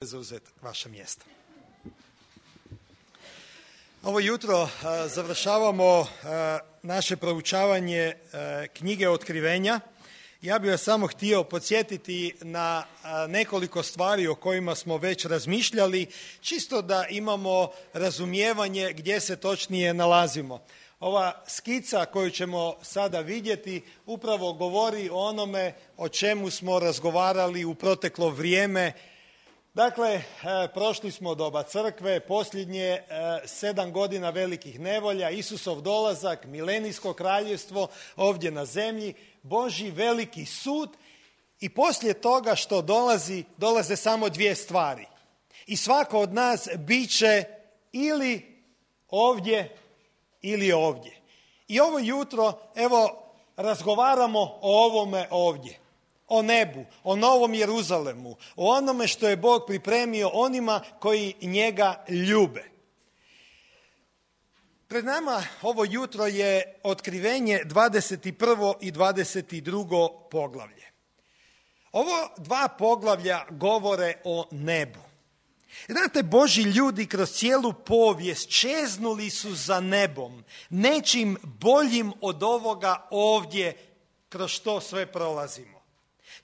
zauzeti vaše mjesto. Ovo jutro završavamo naše proučavanje knjige Otkrivenja. Ja bih vas samo htio podsjetiti na nekoliko stvari o kojima smo već razmišljali, čisto da imamo razumijevanje gdje se točnije nalazimo. Ova skica koju ćemo sada vidjeti upravo govori o onome o čemu smo razgovarali u proteklo vrijeme. Dakle, prošli smo doba crkve, posljednje 7 godina velikih nevolja, Isusov dolazak, milenijsko kraljevstvo ovdje na zemlji, Božji veliki sud i poslije toga što dolaze samo dvije stvari. I svako od nas bit će ili ovdje ili ovdje. I ovo jutro, evo, razgovaramo o ovome ovdje. O nebu, o Novom Jeruzalemu, o onome što je Bog pripremio onima koji njega ljube. Pred nama ovo jutro je Otkrivenje 21. i 22. poglavlje. Ovo dva poglavlja govore o nebu. Znate, Božji ljudi kroz cijelu povijest čeznuli su za nebom, nečim boljim od ovoga ovdje kroz što sve prolazimo.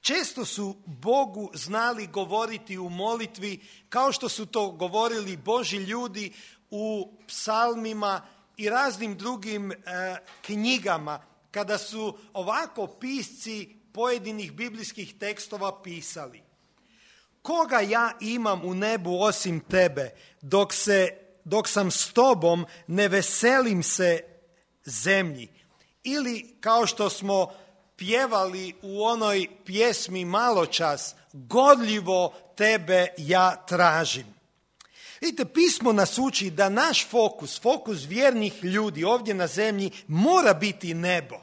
Često su Bogu znali govoriti u molitvi kao što su to govorili Božji ljudi u psalmima i raznim drugim knjigama kada su ovako pisci pojedinih biblijskih tekstova pisali. Koga ja imam u nebu osim tebe, dok sam s tobom ne veselim se zemlji. Ili kao što smo pjevali u onoj pjesmi maločas, gorljivo tebe ja tražim. Vidite, pismo nas uči da naš fokus vjernih ljudi ovdje na zemlji mora biti nebo.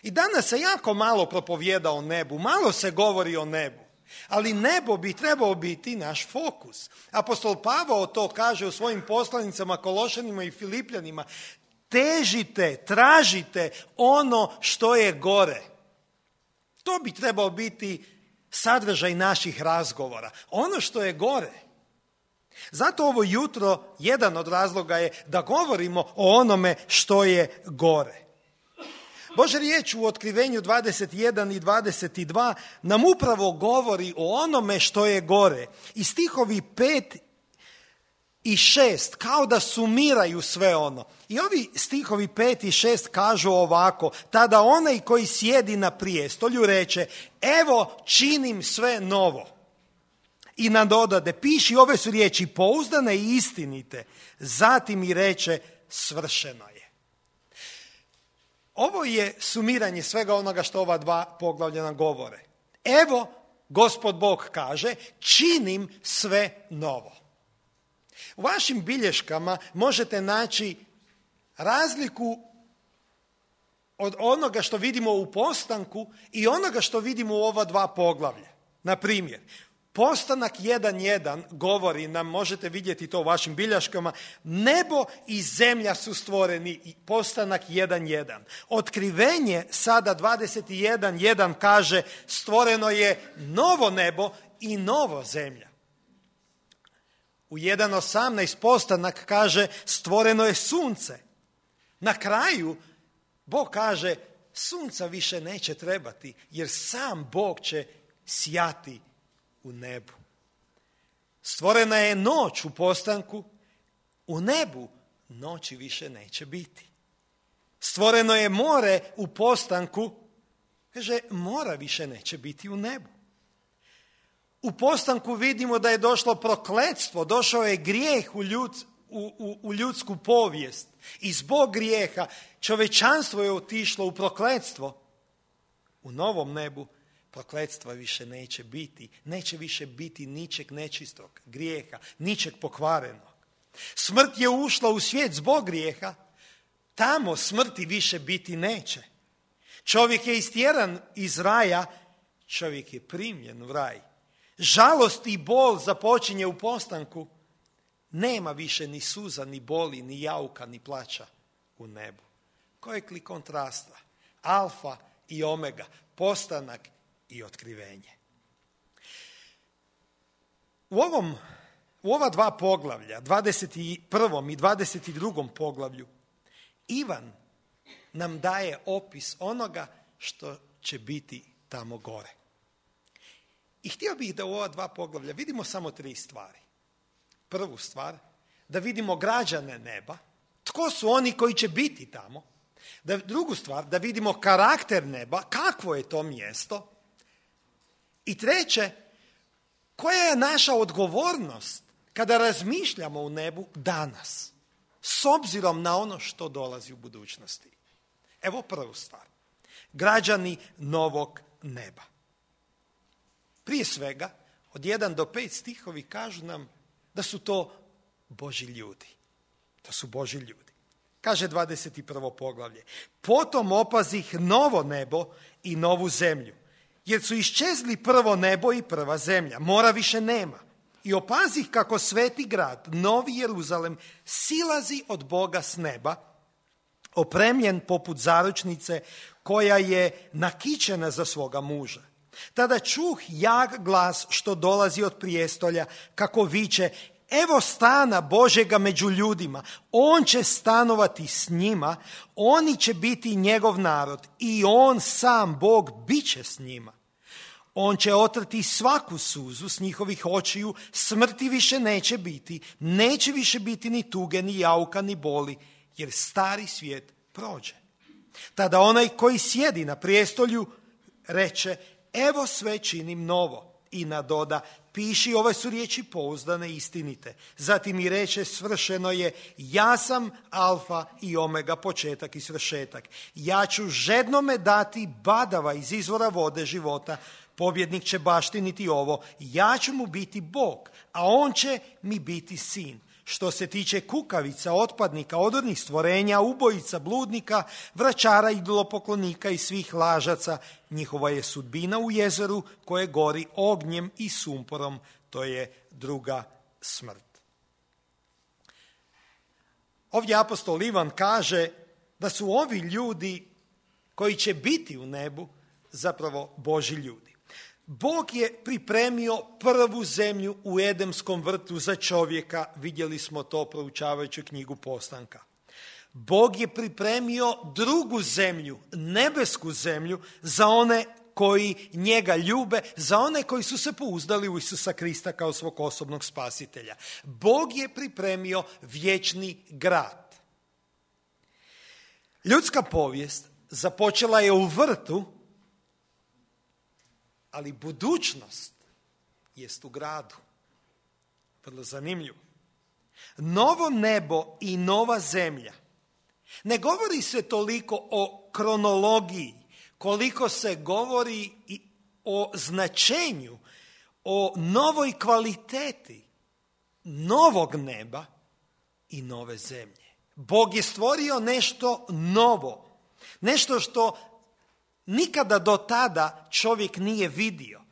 I danas se jako malo propovijeda o nebu, malo se govori o nebu, ali nebo bi trebao biti naš fokus. Apostol Pavao to kaže u svojim poslanicama Kološanima i Filipljanima. Težite, tražite ono što je gore. To bi trebao biti sadržaj naših razgovora. Ono što je gore. Zato ovo jutro jedan od razloga je da govorimo o onome što je gore. Božja riječ u Otkrivenju 21 i 22 nam upravo govori o onome što je gore. I stihovi 5 i 6 kao da sumiraju sve ono. I ovi stihovi 5 i 6 kažu ovako: tada onaj koji sjedi na prijestolju reče, evo činim sve novo. I nadodade, piši ove su riječi pouzdane i istinite. Zatim i reče, svršeno je. Ovo je sumiranje svega onoga što ova dva poglavlja nam govore. Evo, Gospod Bog kaže, činim sve novo. U vašim bilješkama možete naći razliku od onoga što vidimo u postanku i onoga što vidimo u ova dva poglavlja. Na primjer, postanak 1.1 govori nam, možete vidjeti to u vašim bilješkama, nebo i zemlja su stvoreni, postanak 1.1. Otkrivenje sada 21.1 kaže, stvoreno je novo nebo i novo zemlja. U 1.18 postanak kaže, stvoreno je sunce. Na kraju Bog kaže, sunca više neće trebati, jer sam Bog će sjati u nebu. Stvorena je noć u postanku, u nebu noći više neće biti. Stvoreno je more u postanku, kaže, mora više neće biti u nebu. U postanku vidimo da je došlo prokletstvo, došao je grijeh u ljudsku povijest. I zbog grijeha čovječanstvo je otišlo u prokletstvo. U novom nebu prokletstva više neće biti. Neće više biti ničeg nečistog grijeha, ničeg pokvarenog. Smrt je ušla u svijet zbog grijeha. Tamo smrti više biti neće. Čovjek je istjeran iz raja, čovjek je primljen u raj. Žalost i bol započinje u postanku. Nema više ni suza, ni boli, ni jauka, ni plaća u nebu. Kojeg li kontrasta? Alfa i omega, postanak i otkrivenje. U ova dva poglavlja, 21. i 22. poglavlju, Ivan nam daje opis onoga što će biti tamo gore. I htio bih da u ova dva poglavlja vidimo samo 3 stvari. Prvu stvar, da vidimo građane neba, tko su oni koji će biti tamo. Drugu stvar, da vidimo karakter neba, kakvo je to mjesto. I treće, koja je naša odgovornost kada razmišljamo u nebu danas, s obzirom na ono što dolazi u budućnosti. Evo prvu stvar. Građani novog neba. Prije svega, od 1 do 5 stihovi kažu nam da su to Božji ljudi. To su Božji ljudi. Kaže 21. poglavlje. Potom opazih novo nebo i novu zemlju, jer su iščezli prvo nebo i prva zemlja. Mora više nema. I opazih kako sveti grad, Novi Jeruzalem, silazi od Boga s neba, opremljen poput zaručnice koja je nakićena za svoga muža. Tada čuh jak glas što dolazi od prijestolja, kako viče: evo stana Božjega među ljudima, on će stanovati s njima, oni će biti njegov narod i on sam, Bog, bit će s njima. On će otrti svaku suzu s njihovih očiju, smrti više neće biti, neće više biti ni tuge, ni jauka, ni boli, jer stari svijet prođe. Tada onaj koji sjedi na prijestolju reče: evo sve činim novo. I nadoda: piši, ove su riječi pouzdane i istinite. Zatim i reče: svršeno je, ja sam alfa i omega, početak i svršetak. Ja ću žednome dati badava iz izvora vode života, pobjednik će baštiniti ovo, ja ću mu biti Bog, a on će mi biti sin. Što se tiče kukavica, otpadnika, odornih stvorenja, ubojica, bludnika, vračara, idolopoklonika i svih lažaca, njihova je sudbina u jezeru koje gori ognjem i sumporom, to je druga smrt. Ovdje apostol Ivan kaže da su ovi ljudi koji će biti u nebu zapravo Božji ljudi. Bog je pripremio prvu zemlju u Edemskom vrtu za čovjeka, vidjeli smo to proučavajući knjigu Postanka. Bog je pripremio drugu zemlju, nebesku zemlju, za one koji njega ljube, za one koji su se pouzdali u Isusa Krista kao svog osobnog spasitelja. Bog je pripremio vječni grad. Ljudska povijest započela je u vrtu, ali budućnost jest u gradu. Vrlo zanimljivo. Novo nebo i nova zemlja. Ne govori se toliko o kronologiji, koliko se govori i o značenju, o novoj kvaliteti novog neba i nove zemlje. Bog je stvorio nešto novo, nešto što nikada do tada čovjek nije vidio.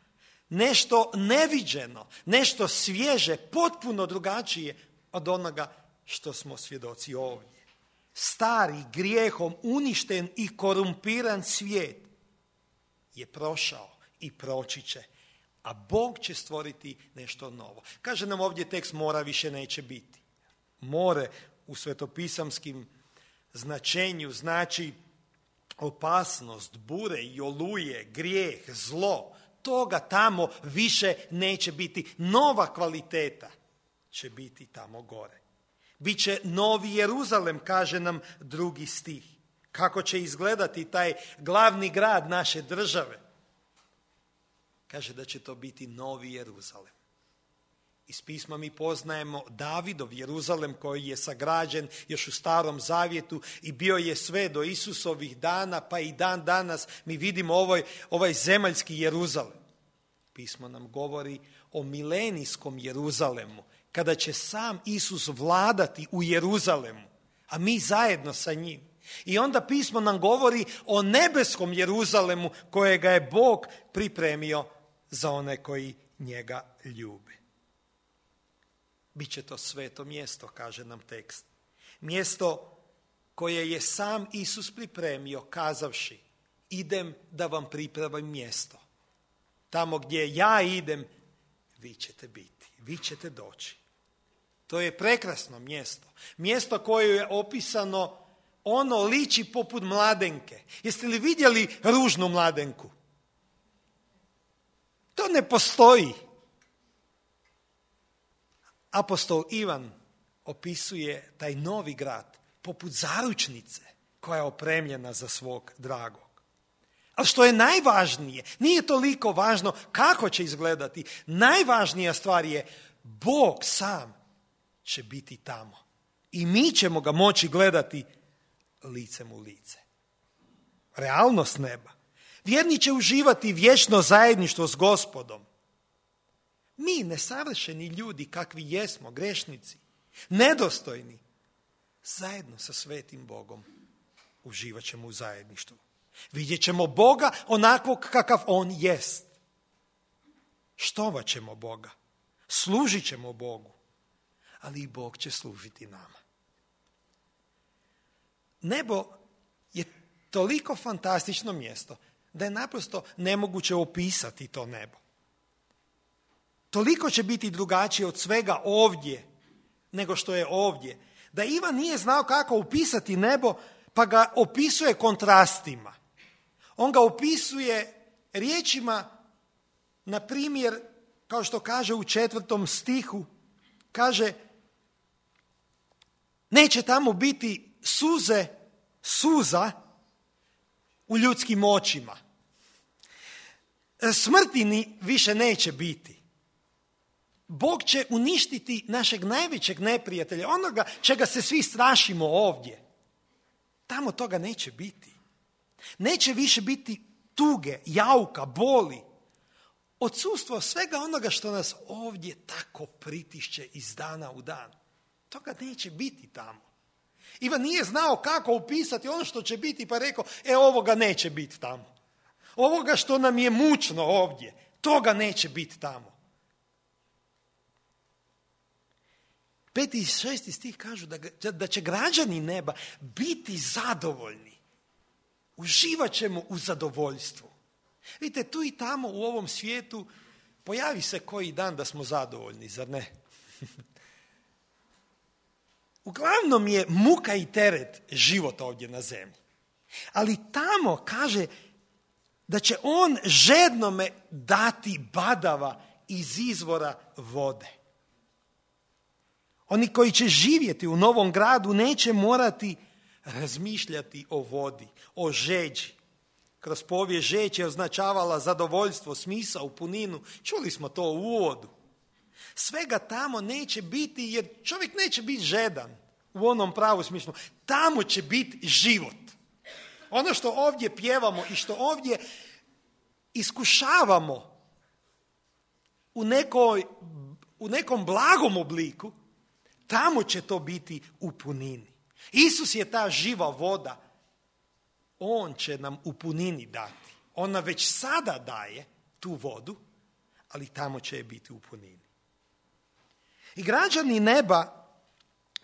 Nešto neviđeno, nešto svježe, potpuno drugačije od onoga što smo svjedoci ovdje. Stari, grijehom uništen i korumpiran svijet je prošao i proći će, a Bog će stvoriti nešto novo. Kaže nam ovdje tekst: mora više neće biti. More u svetopisamskim značenju znači opasnost, bure i oluje, grijeh, zlo. Toga tamo više neće biti. Nova kvaliteta će biti tamo gore. Biće Novi Jeruzalem, kaže nam 2. stih. Kako će izgledati taj glavni grad naše države? Kaže da će to biti Novi Jeruzalem. Iz pisma mi poznajemo Davidov Jeruzalem koji je sagrađen još u Starom Zavjetu i bio je sve do Isusovih dana, pa i dan danas mi vidimo ovaj zemaljski Jeruzalem. Pismo nam govori o milenijskom Jeruzalemu, kada će sam Isus vladati u Jeruzalemu, a mi zajedno sa njim. I onda pismo nam govori o nebeskom Jeruzalemu kojega je Bog pripremio za one koji njega ljube. Biće to sveto mjesto, kaže nam tekst. Mjesto koje je sam Isus pripremio kazavši: idem da vam pripremim mjesto. Tamo gdje ja idem, vi ćete biti, vi ćete doći. To je prekrasno mjesto. Mjesto koje je opisano, ono liči poput mladenke. Jeste li vidjeli ružnu mladenku? To ne postoji. Apostol Ivan opisuje taj novi grad poput zaručnice koja je opremljena za svog dragog. Ali što je najvažnije, nije toliko važno kako će izgledati. Najvažnija stvar je Bog sam će biti tamo. I mi ćemo ga moći gledati licem u lice. Realnost neba. Vjerni će uživati vječno zajedništvo s Gospodom. Mi, nesavršeni ljudi kakvi jesmo, grešnici, nedostojni, zajedno sa svetim Bogom uživat ćemo u zajedništvu. Vidjet ćemo Boga onakvog kakav On jest. Štovat ćemo Boga. Služit ćemo Bogu. Ali i Bog će služiti nama. Nebo je toliko fantastično mjesto da je naprosto nemoguće opisati to nebo. Toliko će biti drugačije od svega ovdje nego što je ovdje. Da Ivan nije znao kako opisati nebo, pa ga opisuje kontrastima. On ga opisuje riječima, na primjer, kao što kaže u 4. stihu, kaže, neće tamo biti suza u ljudskim očima. Smrti više neće biti. Bog će uništiti našeg najvećeg neprijatelja, onoga čega se svi strašimo ovdje. Tamo toga neće biti. Neće više biti tuge, jauka, boli. Odsustvo svega onoga što nas ovdje tako pritišće iz dana u dan. Toga neće biti tamo. Ivan nije znao kako opisati ono što će biti, pa rekao, ovoga neće biti tamo. Ovoga što nam je mučno ovdje, toga neće biti tamo. 5. i 6. stih kažu da će građani neba biti zadovoljni. Uživat ćemo u zadovoljstvu. Vidite, tu i tamo u ovom svijetu pojavi se koji dan da smo zadovoljni, zar ne? Uglavnom je muka i teret život ovdje na zemlji. Ali tamo kaže da će on žednome dati badava iz izvora vode. Oni koji će živjeti u novom gradu neće morati razmišljati o vodi, o žeđi. Kroz povijest žeđ je označavala zadovoljstvo, smisao, puninu. Čuli smo to u uvodu. Svega tamo neće biti, jer čovjek neće biti žedan u onom pravu smislu. Tamo će biti život. Ono što ovdje pjevamo i što ovdje iskušavamo u nekom blagom obliku, tamo će to biti u punini. Isus je ta živa voda. On će nam u punini dati. Ona već sada daje tu vodu, ali tamo će je biti u punini. I građani neba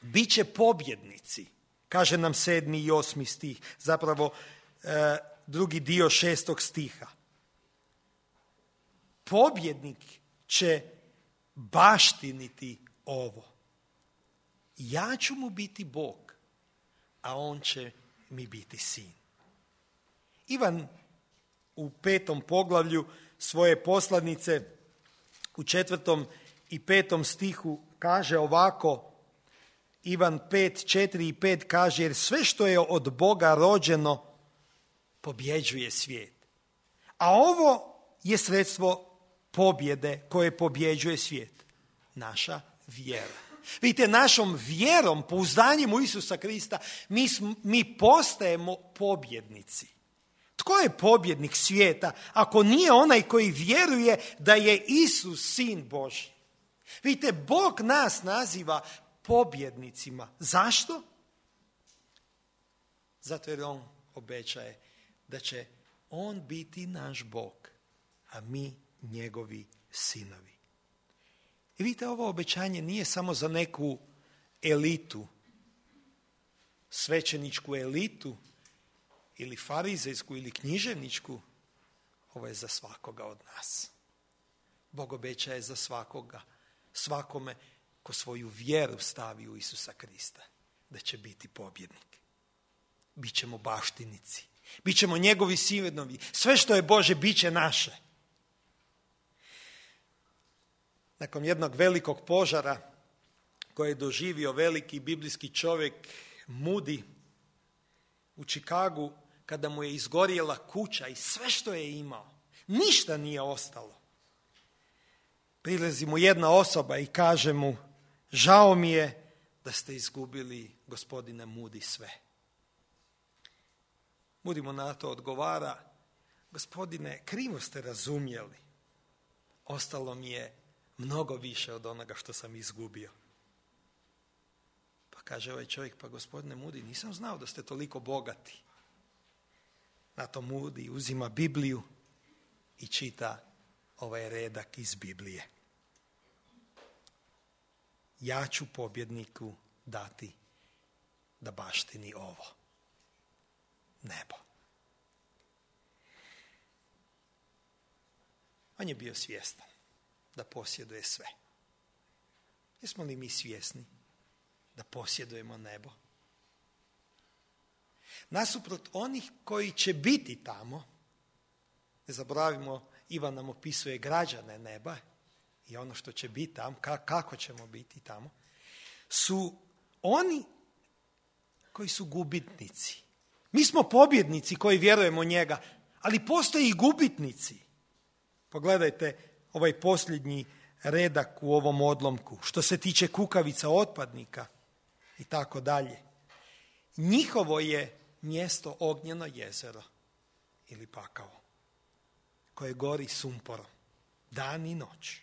bit će pobjednici, kaže nam 7. i 8. stih, zapravo drugi dio 6. stiha. Pobjednik će baštiniti ovo. Ja ću mu biti Bog, a on će mi biti sin. Ivan u 5. poglavlju svoje poslanice u 4. i 5. stihu kaže ovako, Ivan 5, 4 i 5 kaže, jer sve što je od Boga rođeno pobjeđuje svijet. A ovo je sredstvo pobjede koje pobjeđuje svijet. Naša vjera. Vidite, našom vjerom, pouzdanjem u Isusa Krista, mi postajemo pobjednici. Tko je pobjednik svijeta ako nije onaj koji vjeruje da je Isus sin Božji? Vidite, Bog nas naziva pobjednicima. Zašto? Zato jer on obećaje da će on biti naš Bog, a mi njegovi sinovi. I vidite, ovo obećanje nije samo za neku elitu, svećeničku elitu, ili farizejsku ili književničku, ovo je za svakoga od nas. Bog obećaje za svakome ko svoju vjeru stavi u Isusa Krista, da će biti pobjednik. Bićemo baštinici, bićemo njegovi sinovi, sve što je Bože bit će naše. Nakon jednog velikog požara koje je doživio veliki biblijski čovjek Moody u Chicagu, kada mu je izgorjela kuća i sve što je imao, ništa nije ostalo. Prilazi mu jedna osoba i kaže mu: žao mi je da ste izgubili, gospodine Moody, sve. Moody mu na to odgovara: gospodine, krivo ste razumjeli. Ostalo mi je mnogo više od onoga što sam izgubio. Pa kaže ovaj čovjek: pa gospodine Moody, nisam znao da ste toliko bogati. Na to Moody uzima Bibliju i čita ovaj redak iz Biblije: ja ću pobjedniku dati da baštini ovo, nebo. On je bio svjestan da posjeduje sve. Jesmo li mi svjesni da posjedujemo nebo? Nasuprot onih koji će biti tamo, ne zaboravimo, Ivan nam opisuje građane neba i ono što će biti tamo, kako ćemo biti tamo, su oni koji su gubitnici. Mi smo pobjednici koji vjerujemo u njega, ali postoje i gubitnici. Pogledajte ovaj posljednji redak u ovom odlomku, što se tiče kukavica, otpadnika i tako dalje. Njihovo je mjesto ognjeno jezero ili pakao, koje gori sumporom dan i noć.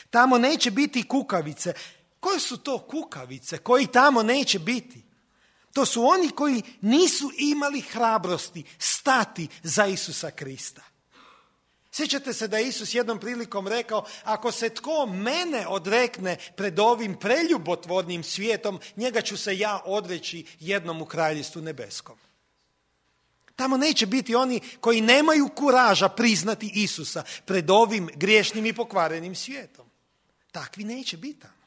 Tamo neće biti kukavice. Koje su to kukavice koji tamo neće biti? To su oni koji nisu imali hrabrosti stati za Isusa Krista. Sjećate se da je Isus jednom prilikom rekao: ako se tko mene odrekne pred ovim preljubotvornim svijetom, njega ću se ja odreći jednom u kraljestvu nebeskom. Tamo neće biti oni koji nemaju kuraža priznati Isusa pred ovim griješnim i pokvarenim svijetom. Takvi neće biti tamo.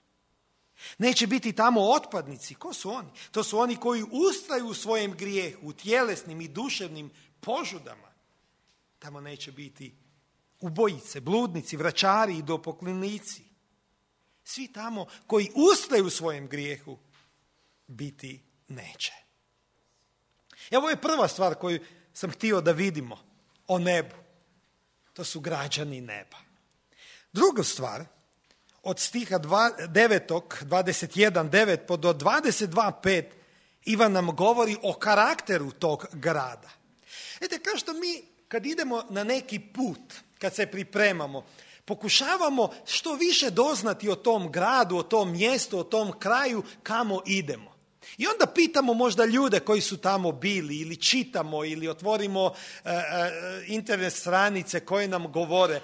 Neće biti tamo otpadnici. Ko su oni? To su oni koji ustraju u svojem grijehu, u tjelesnim i duševnim požudama. Tamo neće biti ubojice, bludnici, vračari i idopoklonici. Svi tamo koji ustraju u svojem grijehu biti neće. Evo je prva stvar koju sam htio da vidimo o nebu. To su građani neba. Druga stvar, od stiha 21:9 do 22:5, Ivan nam govori o karakteru tog grada. Vidite, kao što mi kad idemo na neki put, kad se pripremamo, pokušavamo što više doznati o tom gradu, o tom mjestu, o tom kraju kamo idemo. I onda pitamo možda ljude koji su tamo bili, ili čitamo, ili otvorimo internet stranice koje nam govore.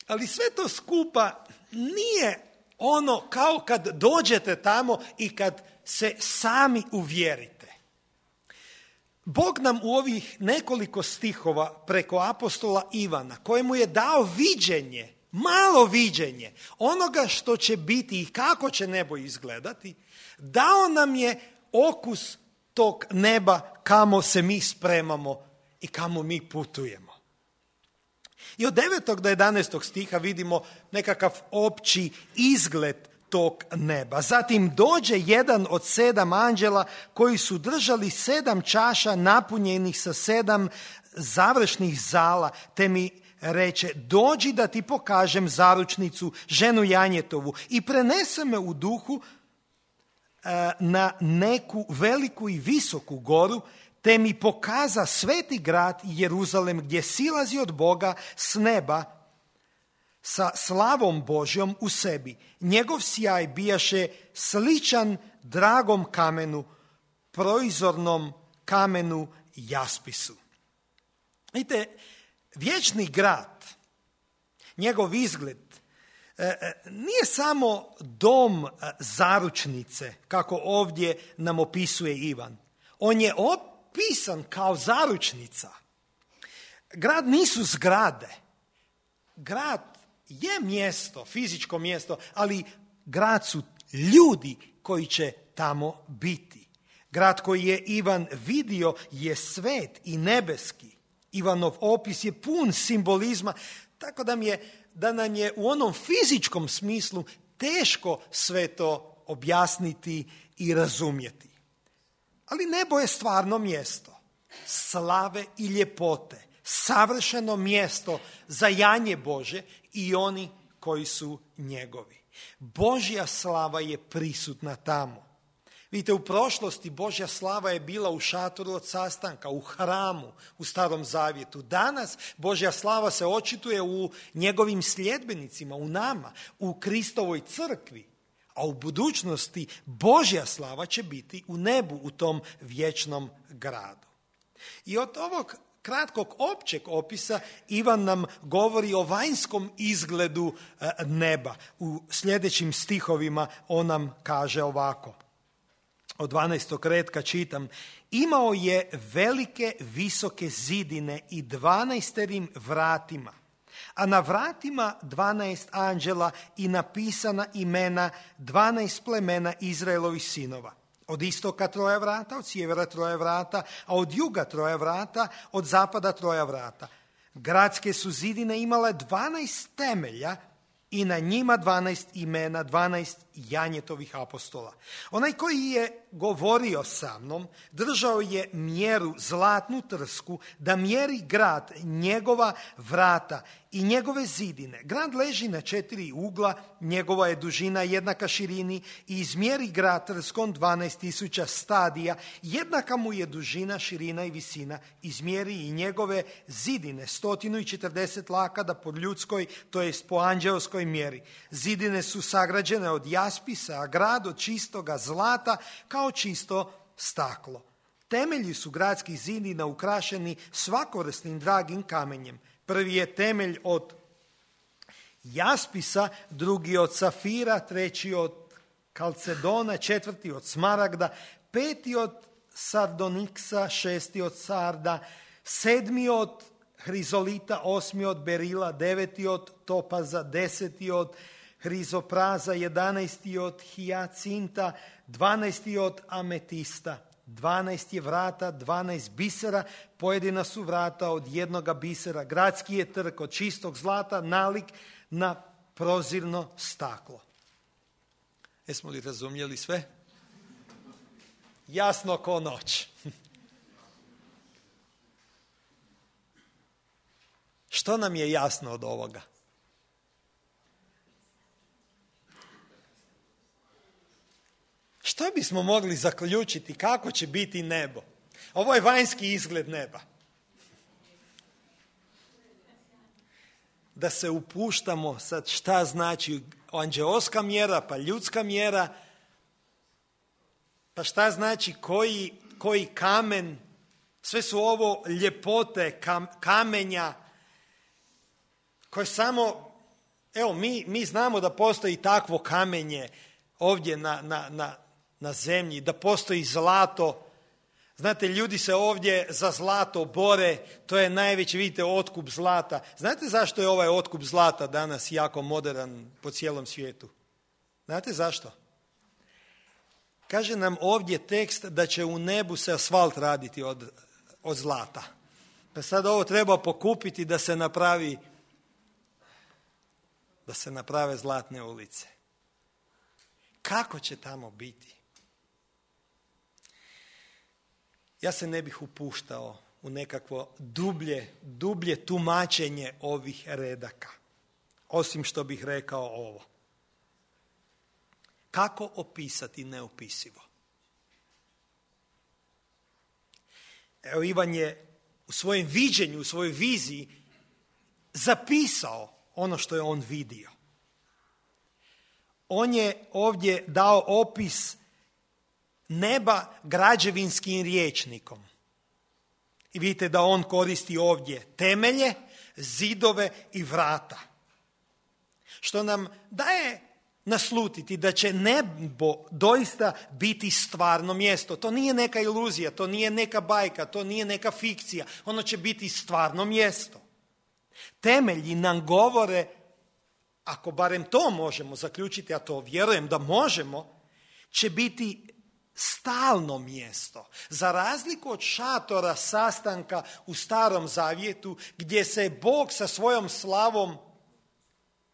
Ali sve to skupa nije ono kao kad dođete tamo i kad se sami uvjerite. Bog nam u ovih nekoliko stihova preko apostola Ivana, kojemu je dao viđenje, malo viđenje onoga što će biti i kako će nebo izgledati, dao nam je okus tog neba kamo se mi spremamo i kamo mi putujemo. I od 9. do 11. stiha vidimo nekakav opći izgled tog neba. Zatim dođe jedan od 7 anđela koji su držali 7 čaša napunjenih sa 7 završnih zala, te mi reče: dođi da ti pokažem zaručnicu, ženu Janjetovu. I prenese me u duhu na neku veliku i visoku goru, te mi pokaza sveti grad Jeruzalem, gdje silazi od Boga s neba sa slavom Božjom u sebi. Njegov sjaj bijaše sličan dragom kamenu, proizornom kamenu jaspisu. Vidite, vječni grad, njegov izgled, nije samo dom zaručnice, kako ovdje nam opisuje Ivan. On je opisan kao zaručnica. Grad nisu zgrade. Grad je mjesto, fizičko mjesto, ali grad su ljudi koji će tamo biti. Grad koji je Ivan vidio je svet i nebeski. Ivanov opis je pun simbolizma, tako da nam je u onom fizičkom smislu teško sve to objasniti i razumjeti. Ali nebo je stvarno mjesto slave i ljepote, savršeno mjesto za janje Bože i oni koji su njegovi. Božja slava je prisutna tamo. Vidite, u prošlosti Božja slava je bila u šatoru od sastanka, u hramu, u Starom Zavjetu. Danas Božja slava se očituje u njegovim sljedbenicima, u nama, u Kristovoj crkvi. A u budućnosti Božja slava će biti u nebu, u tom vječnom gradu. I od ovog kratkog općeg opisa Ivan nam govori o vanjskom izgledu neba. U sljedećim stihovima on nam kaže ovako. Od 12. retka čitam: imao je velike visoke zidine i 12 vratima, a na vratima 12 anđela i napisana imena 12 plemena Izraelovih sinova. Od istoka 3 vrata, od sjevera 3 vrata, a od juga 3 vrata, od zapada 3 vrata. Gradske su zidine imale 12 temelja i na njima 12 imena, 12 janjetovih apostola. Onaj koji je govorio sa mnom, držao je mjeru zlatnu trsku da mjeri grad, njegova vrata i njegove zidine. Grad leži na 4 ugla, njegova je dužina jednaka širini i izmjeri grad trskom 12.000 stadija, jednaka mu je dužina, širina i visina. Izmjeri i njegove zidine 140 lakada po ljudskoj, to jest po anđeoskoj mjeri. Zidine su sagrađene od jaspisa, a grad od čistoga zlata kao čisto staklo. Temelji su gradskih zidina ukrašeni svakovrsnim dragim kamenjem. Prvi je temelj od jaspisa, drugi od safira, treći od kalcedona, četvrti od smaragda, peti od sardoniksa, šesti od sarda, sedmi od hrizolita, osmi od berila, deveti od topaza, 10 od hrizopraza, 11 od hijacinta, 12 od ametista. 12 je vrata, 12 bisera, pojedina su vrata od jednoga bisera. Gradski je trg od čistog zlata, nalik na prozirno staklo. Jesmo li razumjeli sve? Jasno ko noć. Što nam je jasno od ovoga? Što bismo mogli zaključiti kako će biti nebo? Ovo je vanjski izgled neba. Da se upuštamo sad šta znači anđeoska mjera, pa ljudska mjera, pa šta znači koji kamen, sve su ovo ljepote kamenja koje samo, evo mi znamo da postoji takvo kamenje ovdje na zemlji, da postoji zlato. Znate, ljudi se ovdje za zlato bore, to je najveći, vidite, otkup zlata. Znate zašto je ovaj otkup zlata danas jako modern po cijelom svijetu? Znate zašto? Kaže nam ovdje tekst da će u nebu se asfalt raditi od zlata. Pa sad ovo treba pokupiti da se naprave zlatne ulice. Kako će tamo biti? Ja se ne bih upuštao u nekakvo dublje tumačenje ovih redaka, osim što bih rekao ovo. Kako opisati neopisivo? Evo, Ivan je u svojem viđenju, u svojoj viziji zapisao ono što je on vidio. On je ovdje dao opis neba građevinskim rječnikom. I vidite da on koristi ovdje temelje, zidove i vrata. Što nam daje naslutiti da će nebo doista biti stvarno mjesto. To nije neka iluzija, to nije neka bajka, to nije neka fikcija. Ono će biti stvarno mjesto. Temelji nam govore ako barem to možemo zaključiti, a to vjerujem da možemo, će biti stalno mjesto. Za razliku od šatora sastanka u Starom Zavjetu, gdje se Bog sa svojom slavom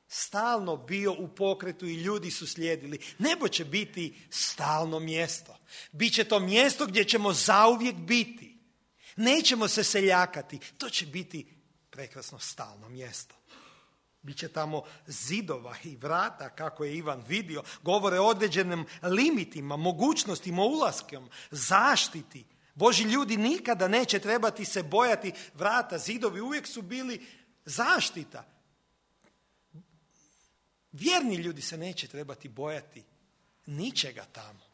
stalno bio u pokretu i ljudi su slijedili. Nebo će biti stalno mjesto. Biće to mjesto gdje ćemo zauvijek biti. Nećemo se seljakati. To će biti prekrasno stalno mjesto. Biće tamo zidova i vrata, kako je Ivan vidio, govore o određenim limitima, mogućnostima ulaskom, zaštiti. Božji ljudi nikada neće trebati se bojati vrata, zidovi uvijek su bili zaštita. Vjerni ljudi se neće trebati bojati ničega tamo.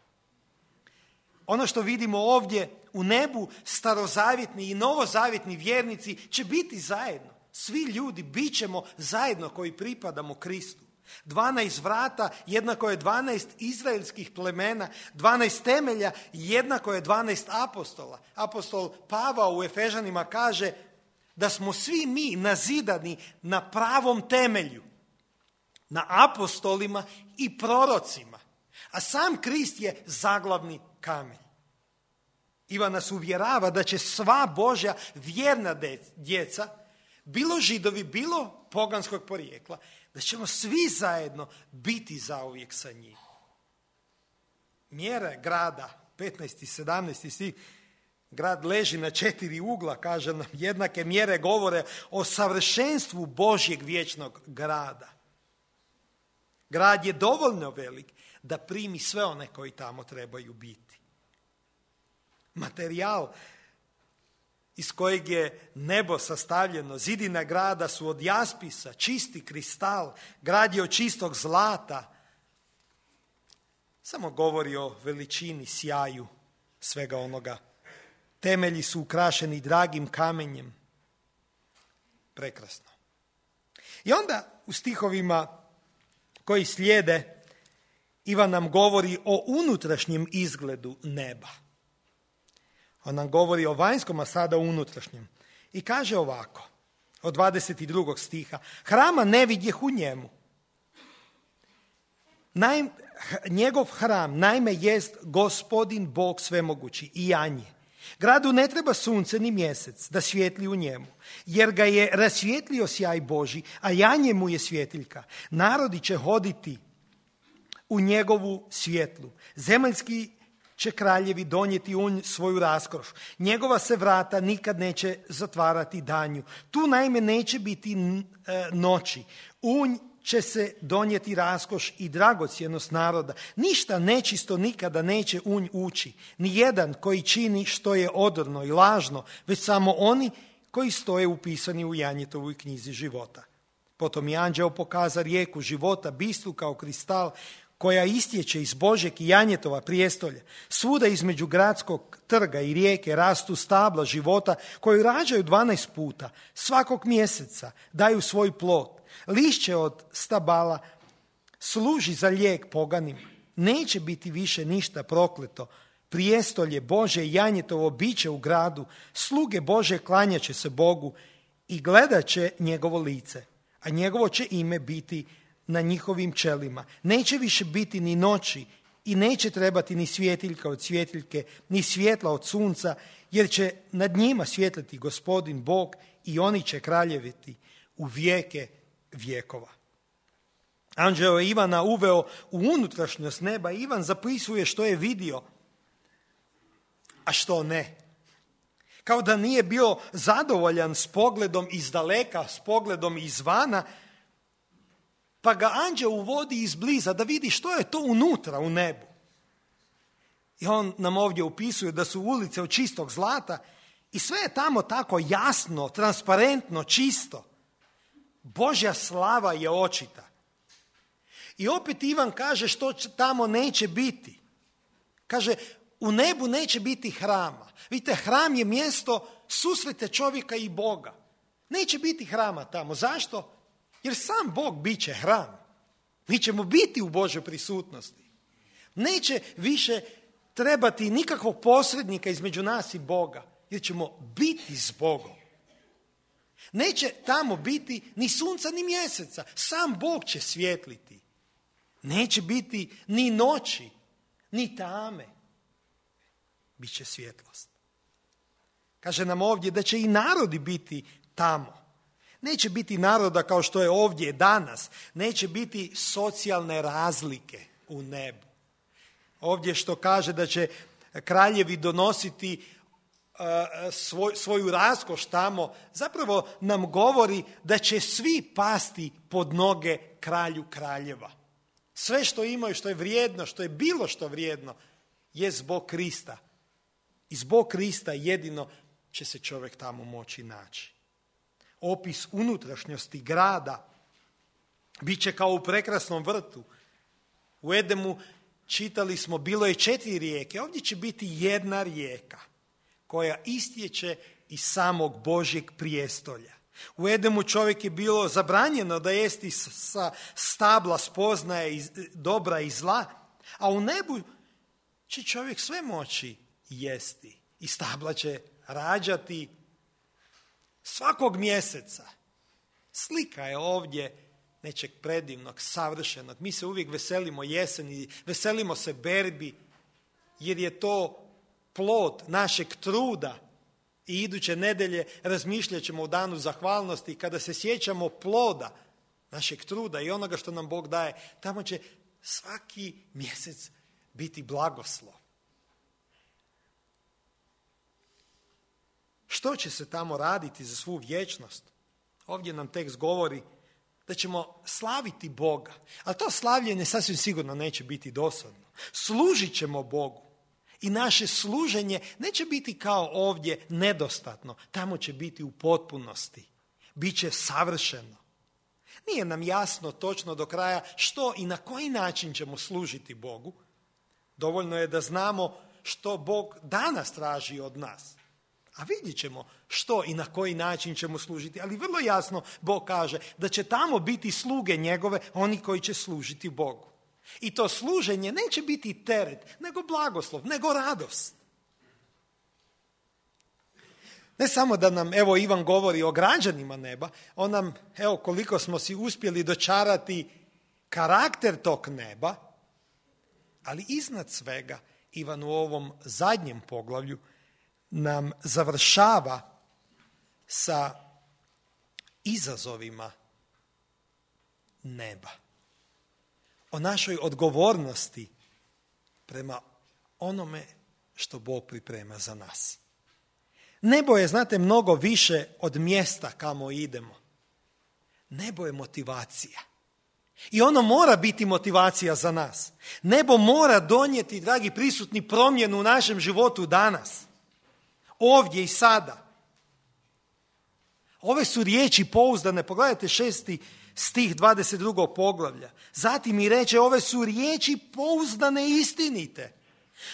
Ono što vidimo ovdje u nebu, starozavjetni i novozavjetni vjernici će biti zajedno. Svi ljudi bit ćemo zajedno koji pripadamo Kristu. 12 vrata jednako je 12 izraelskih plemena, 12 temelja jednako je 12 apostola. Apostol Pavao u Efežanima kaže da smo svi mi nazidani na pravom temelju, na apostolima i prorocima, a sam Krist je zaglavni kamen. Ivan nas uvjerava da će sva Božja vjerna djeca, bilo Židovi, bilo poganskog porijekla, da ćemo svi zajedno biti zauvijek sa njim. Mjere grada, 15. i 17. stih, grad leži na 4 ugla, kaže nam, jednake mjere govore o savršenstvu Božjeg vječnog grada. Grad je dovoljno velik da primi sve one koji tamo trebaju biti. Materijal iz kojeg je nebo sastavljeno, zidina grada su od jaspisa, čisti kristal, grad je od čistog zlata. Samo govori o veličini, sjaju svega onoga. Temelji su ukrašeni dragim kamenjem. Prekrasno. I onda u stihovima koji slijede Ivan nam govori o unutrašnjem izgledu neba. On nam govori o vanjskom, a sada o unutrašnjem. I kaže ovako, od 22. stiha, hrama ne vidjeh u njemu. Njegov hram, naime, jest Gospodin Bog svemogući i janje. Gradu ne treba sunce ni mjesec da svijetli u njemu, jer ga je rasvijetlio sjaj Božji, a janje mu je svjetiljka. Narodi će hoditi u njegovu svjetlu. Zemaljski će kraljevi donijeti u svoju raskoš. Njegova se vrata nikad neće zatvarati danju. Tu naime neće biti noći. Unj će se donijeti raskoš i dragocjenost naroda. Ništa nečisto nikada neće unj ući. Nijedan koji čini što je odorno i lažno, već samo oni koji stoje upisani u Janjetovoj knjizi života. Potom je anđeo pokaza rijeku života, bistru kao kristal, koja istječe iz Božjeg i Janjetova prijestolja. Svuda između gradskog trga i rijeke rastu stabla života koju rađaju 12 puta. Svakog mjeseca daju svoj plod. Lišće od stabala služi za lijek poganima. Neće biti više ništa prokleto. Prijestolje Božje i Janjetovo biće u gradu. Sluge Božje klanjat će se Bogu i gledat će njegovo lice. A njegovo će ime biti na njihovim čelima. Neće više biti ni noći i neće trebati ni svjetiljka od svjetiljke, ni svjetla od sunca, jer će nad njima svjetliti Gospodin Bog i oni će kraljeviti u vijeke vjekova. Anđeo je Ivana uveo u unutrašnjost neba. Ivan zapisuje što je vidio, a što ne. Kao da nije bio zadovoljan s pogledom iz daleka, s pogledom izvana, pa ga anđeo uvodi izbliza da vidi što je to unutra u nebu. I on nam ovdje upisuje da su ulice od čistog zlata i sve je tamo tako jasno, transparentno, čisto. Božja slava je očita. I opet Ivan kaže što tamo neće biti. Kaže, u nebu neće biti hrama. Vidite, hram je mjesto susreta čovjeka i Boga. Neće biti hrama tamo. Zašto? Jer sam Bog bit će hram. Mi ćemo biti u Božoj prisutnosti. Neće više trebati nikakvog posrednika između nas i Boga, jer ćemo biti s Bogom. Neće tamo biti ni sunca ni mjeseca. Sam Bog će svjetliti. Neće biti ni noći, ni tame. Biće svjetlost. Kaže nam ovdje da će i narodi biti tamo. Neće biti naroda kao što je ovdje danas. Neće biti socijalne razlike u nebu. Ovdje što kaže da će kraljevi donositi svoju raskoš tamo, zapravo nam govori da će svi pasti pod noge kralju kraljeva. Sve što imaju, što je vrijedno, što je bilo što vrijedno, je zbog Krista. I zbog Krista jedino će se čovjek tamo moći naći. Opis unutrašnjosti grada bit će kao u prekrasnom vrtu. U Edemu čitali smo, bilo je 4 rijeke, ovdje će biti 1 rijeka koja istječe iz samog Božjeg prijestolja. U Edemu čovjek je bilo zabranjeno da jesti sa stabla spoznaje dobra i zla, a u nebu će čovjek sve moći jesti i stabla će rađati svakog mjeseca. Slika je ovdje nečeg predivnog, savršenog. Mi se uvijek veselimo jeseni, veselimo se berbi, jer je to plod našeg truda. I iduće nedjelje razmišljat ćemo u danu zahvalnosti, kada se sjećamo ploda našeg truda i onoga što nam Bog daje, tamo će svaki mjesec biti blagoslov. Što će se tamo raditi za svu vječnost? Ovdje nam tekst govori da ćemo slaviti Boga, ali to slavljenje sasvim sigurno neće biti dosadno. Služit ćemo Bogu i naše služenje neće biti kao ovdje nedostatno, tamo će biti u potpunosti, bit će savršeno. Nije nam jasno točno do kraja što i na koji način ćemo služiti Bogu. Dovoljno je da znamo što Bog danas traži od nas. A vidjet ćemo što i na koji način ćemo služiti. Ali vrlo jasno Bog kaže da će tamo biti sluge njegove, oni koji će služiti Bogu. I to služenje neće biti teret, nego blagoslov, nego radost. Ne samo da nam, evo, Ivan govori o građanima neba, on nam, evo, koliko smo si uspjeli dočarati karakter tog neba, ali iznad svega, Ivan u ovom zadnjem poglavlju nam završava sa izazovima neba. O našoj odgovornosti prema onome što Bog priprema za nas. Nebo je, znate, mnogo više od mjesta kamo idemo. Nebo je motivacija. I ono mora biti motivacija za nas. Nebo mora donijeti, dragi prisutni, promjenu u našem životu danas. Ovdje i sada. Ove su riječi pouzdane. Pogledajte 6. stih 22. poglavlja. Zatim mi reče, ove su riječi pouzdane i istinite.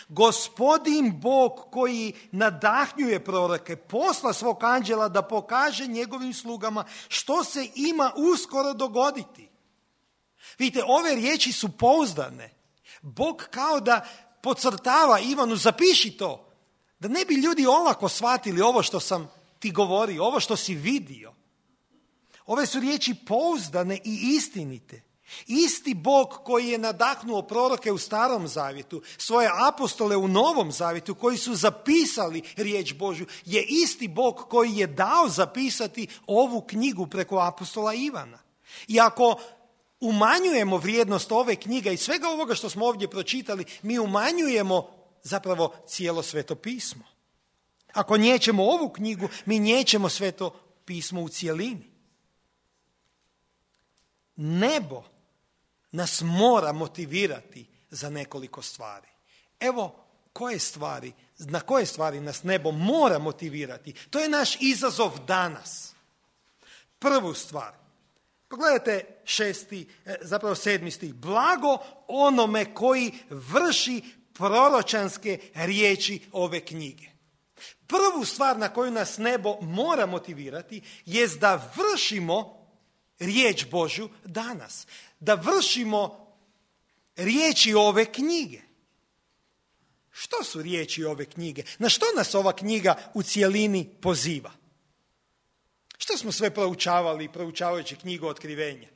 Gospodin Bog koji nadahnjuje proroke, posla svog anđela da pokaže njegovim slugama što se ima uskoro dogoditi. Vidite, ove riječi su pouzdane. Bog kao da podcrtava Ivanu, zapiši to. Da ne bi ljudi olako shvatili ovo što sam ti govorio, ovo što si vidio. Ove su riječi pouzdane i istinite. Isti Bog koji je nadahnuo proroke u Starom zavjetu, svoje apostole u Novom zavjetu, koji su zapisali riječ Božju, je isti Bog koji je dao zapisati ovu knjigu preko apostola Ivana. I ako umanjujemo vrijednost ove knjige i svega ovoga što smo ovdje pročitali, mi umanjujemo zapravo cijelo Sveto pismo. Ako niječemo ovu knjigu, mi niječemo Sveto pismo u cijelini. Nebo nas mora motivirati za nekoliko stvari. Evo na koje stvari nas nebo mora motivirati. To je naš izazov danas. Prvu stvar. Pogledajte 7. stih. Blago onome koji vrši proročanske riječi ove knjige. Prvu stvar na koju nas nebo mora motivirati jest da vršimo riječ Božju danas. Da vršimo riječi ove knjige. Što su riječi ove knjige? Na što nas ova knjiga u cjelini poziva? Što smo sve proučavajući knjigu Otkrivenja?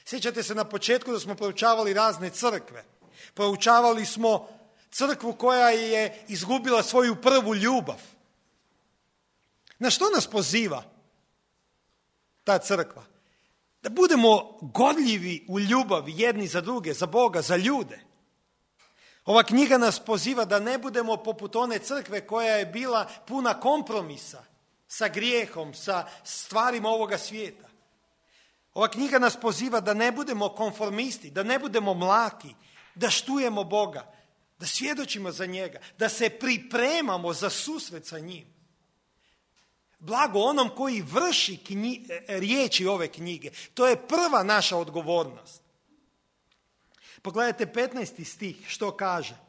Sjećate se na početku da smo proučavali razne crkve. Proučavali smo crkvu koja je izgubila svoju prvu ljubav. Na što nas poziva ta crkva? Da budemo gorljivi u ljubavi jedni za druge, za Boga, za ljude. Ova knjiga nas poziva da ne budemo poput one crkve koja je bila puna kompromisa sa grijehom, sa stvarima ovoga svijeta. Ova knjiga nas poziva da ne budemo konformisti, da ne budemo mlaki, da štujemo Boga, da svjedočimo za njega, da se pripremamo za susret sa njim. Blago onom koji vrši riječi ove knjige. To je prva naša odgovornost. Pogledajte 15. stih što kaže.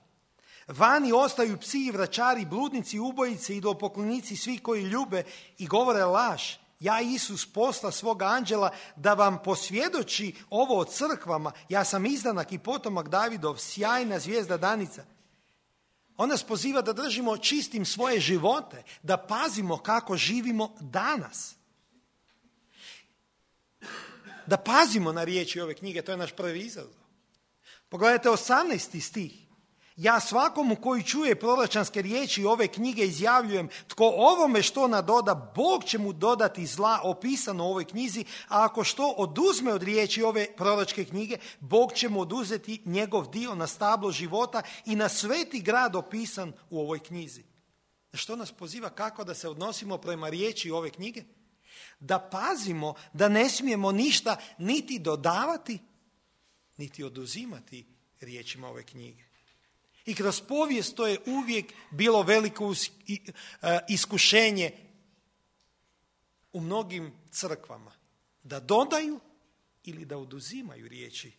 Vani ostaju psi i vračari, bludnici, ubojice, idolopoklonici, svi koji ljube i govore laž. Ja, Isus, posla svoga anđela da vam posvjedoči ovo o crkvama. Ja sam izdanak i potomak Davidov, sjajna zvijezda danica. On nas poziva da držimo čistim svoje živote, da pazimo kako živimo danas. Da pazimo na riječi ove knjige, to je naš prvi izazov. Pogledajte 18. stih. Ja svakomu koji čuje proročanske riječi ove knjige izjavljujem, tko ovome što nadoda, Bog će mu dodati zla opisano u ovoj knjizi, a ako što oduzme od riječi ove proročke knjige, Bog će mu oduzeti njegov dio na stablo života i na sveti grad opisan u ovoj knjizi. Što nas poziva kako da se odnosimo prema riječi ove knjige? Da pazimo da ne smijemo ništa niti dodavati, niti oduzimati riječima ove knjige. I kroz povijest to je uvijek bilo veliko iskušenje u mnogim crkvama. Da dodaju ili da oduzimaju riječi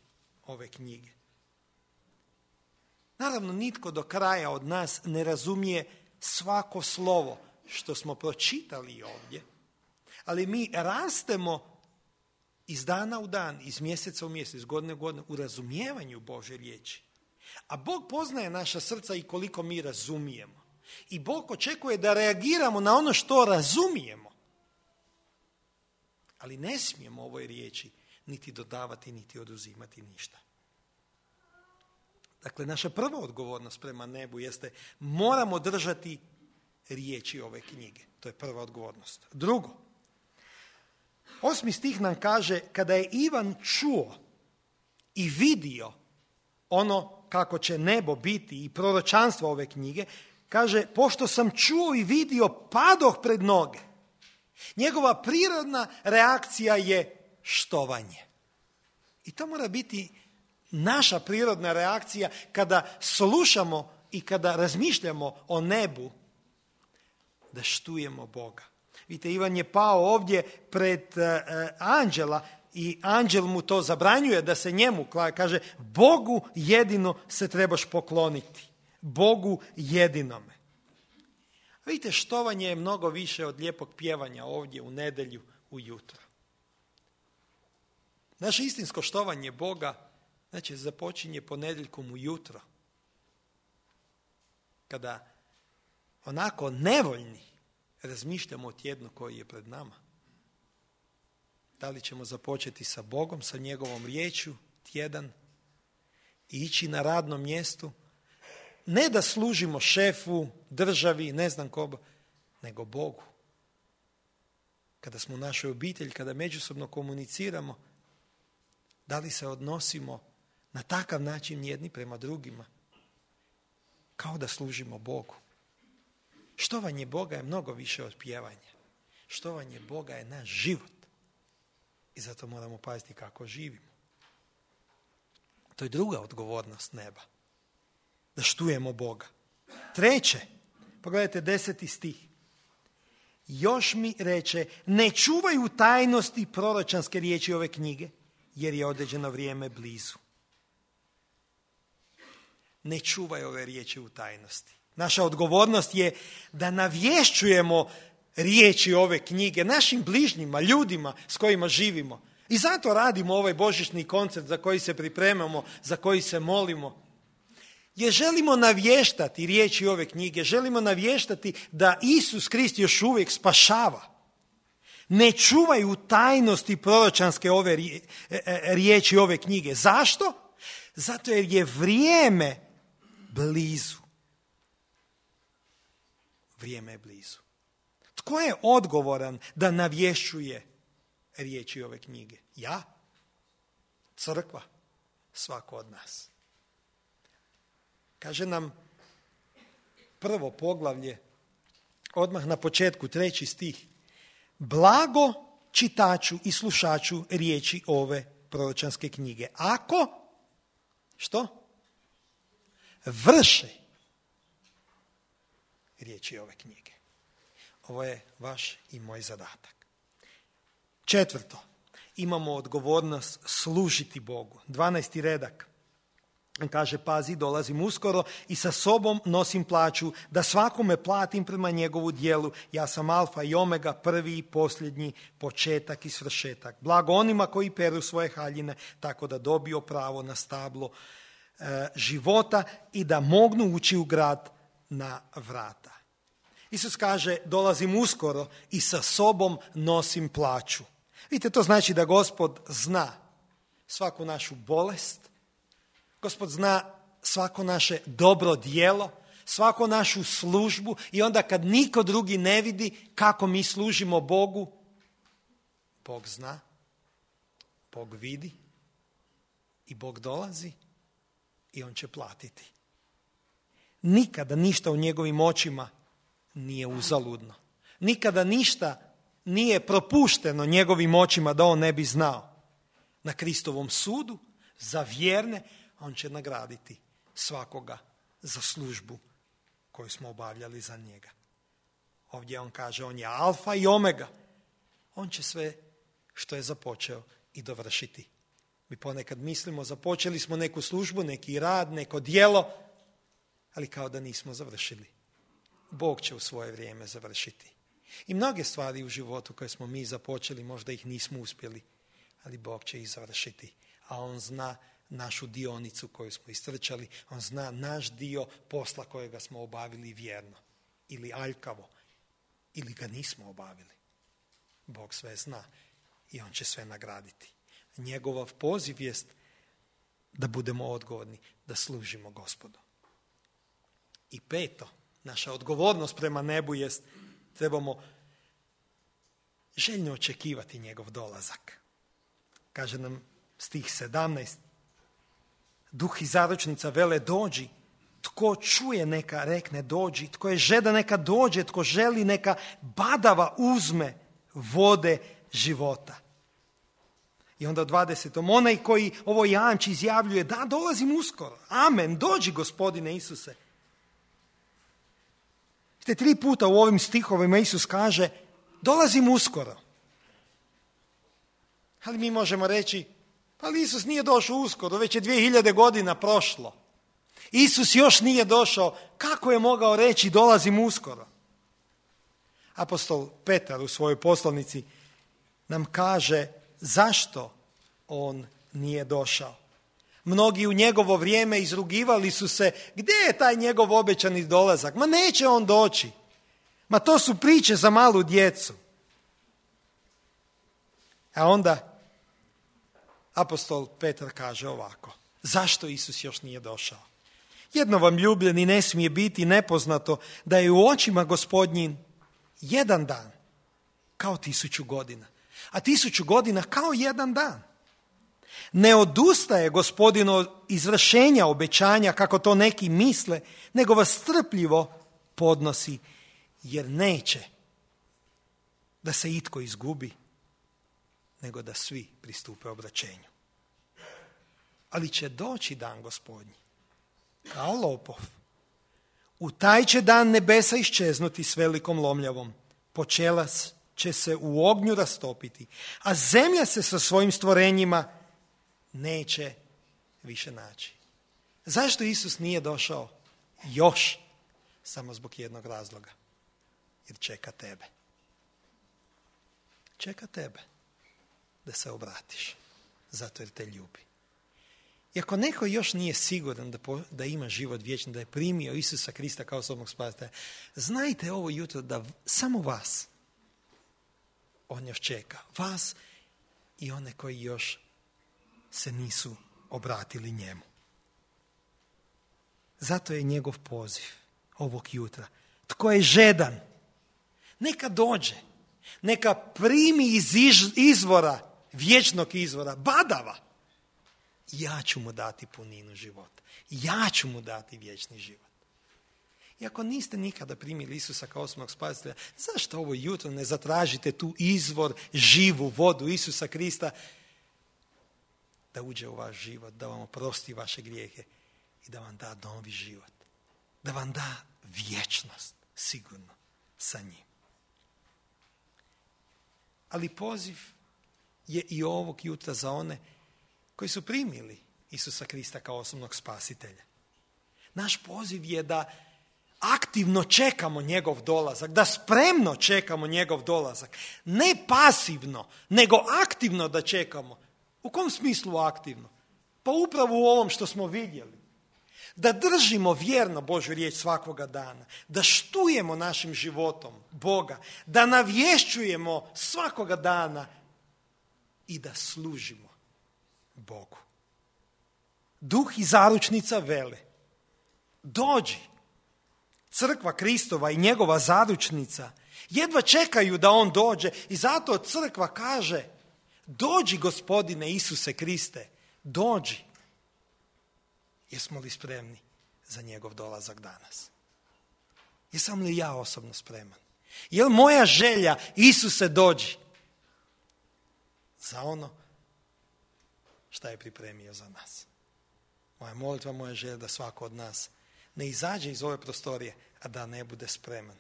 ove knjige. Naravno, nitko do kraja od nas ne razumije svako slovo što smo pročitali ovdje, ali mi rastemo iz dana u dan, iz mjeseca u mjesec, iz godine u godinu u razumijevanju Božje riječi. A Bog poznaje naša srca i koliko mi razumijemo. I Bog očekuje da reagiramo na ono što razumijemo. Ali ne smijemo ovoj riječi niti dodavati, niti oduzimati ništa. Dakle, naša prva odgovornost prema nebu jeste moramo držati riječi ove knjige. To je prva odgovornost. Drugo, 8. stih nam kaže, kada je Ivan čuo i vidio ono kako će nebo biti i proročanstvo ove knjige, kaže, pošto sam čuo i vidio, padoh pred noge. Njegova prirodna reakcija je štovanje. I to mora biti naša prirodna reakcija kada slušamo i kada razmišljamo o nebu, da štujemo Boga. Vidite, Ivan je pao ovdje pred anđela i anđel mu to zabranjuje da se njemu kaže, Bogu jedino se trebaš pokloniti. Bogu jedinome. Vidite, štovanje je mnogo više od lijepog pjevanja ovdje u nedjelju ujutro. Naše istinsko štovanje Boga znači započinje ponedjeljkom ujutro. Kada onako nevoljni razmišljamo o tjednu koji je pred nama. Da li ćemo započeti sa Bogom, sa njegovom riječju tjedan i ići na radnom mjestu, ne da služimo šefu, državi, ne znam koga, nego Bogu. Kada smo u našoj obitelji, kada međusobno komuniciramo, da li se odnosimo na takav način jedni prema drugima, kao da služimo Bogu. Štovanje Boga je mnogo više od pjevanja. Štovanje Boga je naš život. I zato moramo paziti kako živimo. To je druga odgovornost neba. Da štujemo Boga. Treće, pogledajte 10. stih. Još mi reče, ne čuvaju tajnosti proročanske riječi ove knjige, jer je određeno vrijeme blizu. Ne čuvaju ove riječi u tajnosti. Naša odgovornost je da navješćujemo riječi ove knjige našim bližnjima, ljudima s kojima živimo. I zato radimo ovaj božićni koncert za koji se pripremamo, za koji se molimo. Jer želimo navještati riječi ove knjige, želimo navještati da Isus Krist još uvijek spašava. ne čuvaju tajnosti proročanske ove riječi ove knjige. Zašto? Zato jer je vrijeme blizu. Vrijeme je blizu. Tko je odgovoran da navješćuje riječi ove knjige? Ja? Crkva? Svako od nas. Kaže nam prvo poglavlje, odmah na početku, 3. stih. Blago čitaču i slušaču riječi ove proročanske knjige. Ako, što? Vrše riječi ove knjige. Ovo je vaš i moj zadatak. 4. Imamo odgovornost služiti Bogu. 12. redak. Kaže, pazi, dolazim uskoro i sa sobom nosim plaću, da svakome platim prema njegovu djelu. Ja sam alfa i omega, prvi i posljednji, početak i svršetak. Blago onima koji peru svoje haljine, tako da dobiju pravo na stablo života i da mognu ući u grad na vrata. Isus kaže, dolazim uskoro i sa sobom nosim plaću. Vidite, to znači da Gospod zna svaku našu bolest, Gospod zna svako naše dobro djelo, svaku našu službu i onda kad niko drugi ne vidi kako mi služimo Bogu, Bog zna, Bog vidi i Bog dolazi i on će platiti. Nikada ništa u njegovim očima nije uzaludno. Nikada ništa nije propušteno njegovim očima da on ne bi znao. Na Kristovom sudu za vjerne on će nagraditi svakoga za službu koju smo obavljali za njega. Ovdje on kaže, on je alfa i omega. On će sve što je započeo i dovršiti. Mi ponekad mislimo, započeli smo neku službu, neki rad, neko djelo, ali kao da nismo završili. Bog će u svoje vrijeme završiti. I mnoge stvari u životu koje smo mi započeli, možda ih nismo uspjeli, ali Bog će ih završiti. A on zna našu dionicu koju smo istrčali, on zna naš dio posla kojega smo obavili vjerno ili aljkavo ili ga nismo obavili. Bog sve zna i on će sve nagraditi. Njegov poziv jest da budemo odgovorni, da služimo Gospodu. I 5. naša odgovornost prema nebu jest trebamo željno očekivati njegov dolazak. Kaže nam stih 17. Duh i zaručnica vele dođi. Tko čuje neka rekne dođi. Tko je žeda neka dođe. Tko želi neka badava uzme vode života. I onda u 20. onaj koji ovo jamči izjavljuje da dolazim uskoro. Amen. Dođi Gospodine Isuse. 3 puta u ovim stihovima Isus kaže dolazim uskoro. Ali mi možemo reći, ali Isus nije došao uskoro, već je 2000 godina prošlo. Isus još nije došao, kako je mogao reći dolazim uskoro? Apostol Petar u svojoj poslanici nam kaže zašto on nije došao. Mnogi u njegovo vrijeme izrugivali su se, gdje je taj njegov obećani dolazak? Ma neće on doći. Ma to su priče za malu djecu. A onda apostol Petar kaže ovako, zašto Isus još nije došao? Jedno vam ljubljeni ne smije biti nepoznato da je u očima Gospodnjim jedan dan kao 1000 godina, a 1000 godina kao jedan dan. Ne odustaje Gospodin od izvršenja obećanja kako to neki misle, nego vas strpljivo podnosi jer neće da se itko izgubi, nego da svi pristupe obraćenju. Ali će doći dan Gospodnji kao lopov. U taj će dan nebesa iščeznuti s velikom lomljavom. Počelac će se u ognju rastopiti, a zemlja se sa svojim stvorenjima neće više naći. Zašto Isus nije došao još? Samo zbog jednog razloga. Jer čeka tebe. Čeka tebe da se obratiš. Zato jer te ljubi. I ako neko još nije siguran da ima život vječni, da je primio Isusa Krista kao osobnog spasitelja, znajte ovo jutro da samo vas on još čeka. Vas i one koji još se nisu obratili njemu. Zato je njegov poziv ovog jutra. Tko je žedan, neka dođe. Neka primi iz izvora, vječnog izvora, badava. Ja ću mu dati puninu života. Ja ću mu dati vječni život. I ako niste nikada primili Isusa kao osobnog spasitelja, zašto ovo jutro ne zatražite tu izvor, živu vodu Isusa Krista da uđe u vaš život, da vam oprosti vaše grijehe i da vam da novi život. Da vam da vječnost sigurno sa njim. Ali poziv je i ovog jutra za one koji su primili Isusa Krista kao osobnog spasitelja. Naš poziv je da aktivno čekamo njegov dolazak, da spremno čekamo njegov dolazak. Ne pasivno, nego aktivno da čekamo. U kom smislu aktivno? Pa upravo u ovom što smo vidjeli. Da držimo vjerno Božju riječ svakoga dana, da štujemo našim životom Boga, da navješćujemo svakoga dana i da služimo Bogu. Duh i zaručnica vele, dođi. Crkva Kristova i njegova zaručnica jedva čekaju da on dođe i zato crkva kaže, dođi Gospodine Isuse Kriste, dođi. Jesmo li spremni za njegov dolazak danas? Jesam li ja osobno spreman? Je li moja želja, Isuse dođi, za ono što je pripremio za nas? Moja molitva, moja želja da svako od nas ne izađe iz ove prostorije, a da ne bude spreman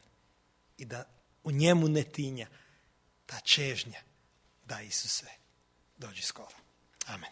i da u njemu ne tinja ta čežnja da Isuse dođi skoro. Amen.